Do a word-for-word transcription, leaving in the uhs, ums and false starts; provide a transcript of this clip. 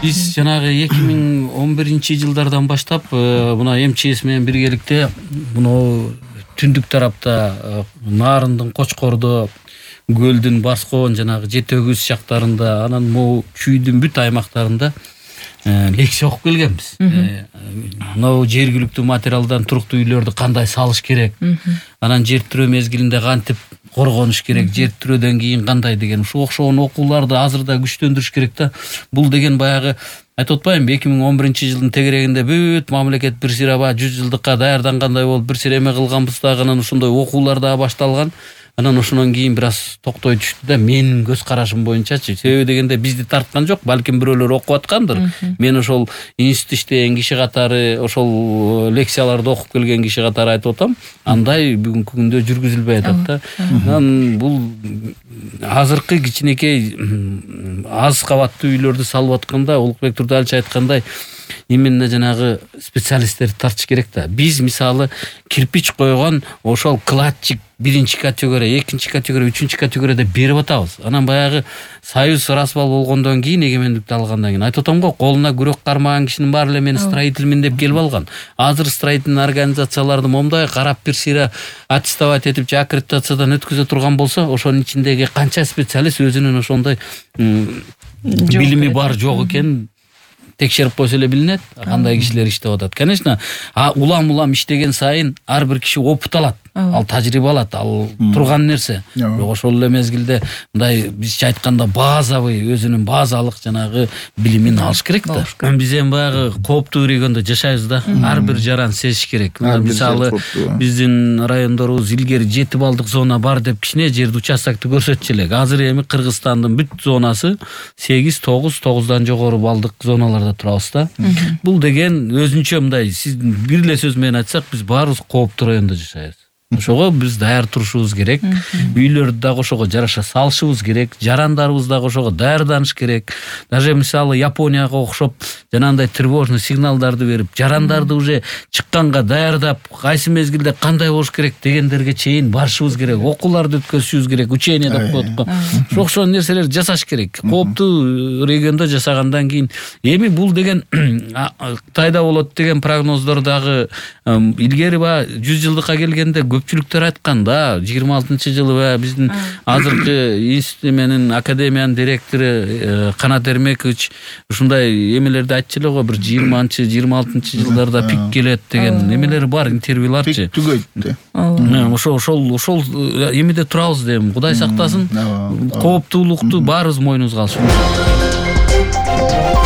Биз жанагы эки миң он биринчи жылдардан баштап мына эм че эс менен биргеликте мына түндүк тарапта Нарындын, Кочкордо, Көлдүн, Баскоон жанагы Жети Өгүз жактарында, анан могу Чүйдүн бүт аймактарында лекция окуп келгенбиз. Мына жергиликтүү материалдан туруктуу үйлөрдү кандай салыш керек, анан жер тирөө мезгилинде кантип коргонуш керек, жер тирөөдөн кийин кандай деген ушул окшогон окууларды азыр да күчтөндүрүш керек да. Бул деген баягы айтып атпаймынбы, эки миң он биринчи жылдын тегерегинде бүт мамлекет бир сыраба жүз жылдыкка даярдангандай болуп бир сыра эме кылганбыз дагы, анан ошондой окуулар да башталган. Анан ошондон кийин бир аз токтой түштү да, менин көз карашым боюнчачы. Себеби дегенде бизди тарткан жок, балким бирөөлөр окуп аткандыр. Мен ошол институт иштеген киши катары, ошол лекцияларды окуп келген киши катары айтып атам, андай бүгүнкү күндө жүргүзүлбөй атат да. Анан бул азыркы кичинекей аз кабаттуу үйлөрдү салып атканда, Улукбек Турдалич айткандай, именно жанагы специалисттерди тартыш керек да. Биз мисалы кирпич койгон ошол кладчик биринчи категория, экинчи категория, үчүнчү категорияда берип атабыз. Анан баягы союз расбал болгондон кийин, эгемендикти алгандан кийин айтып атам го, колуна күрөк кармаган кишинин баары эле мен строительмин деп келип алган. Азыр строительный организацияларды момундай карап бир сыйра аттестовать этип же аккредитациядан өткөзө турган болсо, ошонун ичиндеги канча специалист өзүнүн ошондой билими бар жок экен текшерип койсо эле билинет, кандай кишилер иштеп атат. Конечно, улам-улам иштеген сайын ар бир киши опыт алат. Ал тажрыйба алат, ал турган нерсе. Бирок ошол эле мезгилде мындай бизче айтканда базовый, өзүнүн базалык жанагы билимин алыш керек да. Биз эми баягы кооптуу региондо жашайбыз да. Ар бир жаран сезиш керек. Мисалы биздин райондорубуз илгери жети балдык зона бар деп кичине жерди участокты көрсөтчү элек. Азыр эми Кыргызстандын бүт зонасы сегиз, тогуз, тогуздан жогору балдык зоналарда турабыз да. Бул деген өзүнчө мындай, сиз бир эле сөз менен айтсак, биз баарыбыз кооптуу райондо жашайбыз. Ошого биз даяр турушубуз керек. Үйлөрдү дагы ошого жараша салышыбыз керек. Жарандарыбыз дагы ошого даярданыш керек. Даже мисалы Японияга окшоп жанагындай тревожный сигналдарды берип, жарандарды уже чыкканга даярдап, кайсы мезгилде кандай болуш керек дегендерге чейин барышыбыз керек. Окууларды өткөзүшүбүз керек. Учение деп коет го. Ошо окшогон нерселерди жасаш керек. Кооптуу региондо жашагандан кийин эми бул деген Кытайда болот деген прогноздор дагы илгери ба жүз жылдыкка келгенде көпчүлүктөр айткан да, жыйырма алтынчы жылы ба биздин азыркы институт менен академиянын директору Канат Эрмекович ушундай эмелерди айтчу эле го, бир жыйырманчы жыйырма алтынчы жылдарда пик келет деген эмелер бар, интервьюларчы. Пик түгөйт. Ошол ошол ошол эмеде турабыз дейм. Кудай сактасын. Кооптуулукту баарыбыз мойнубузга алышыбыз керек.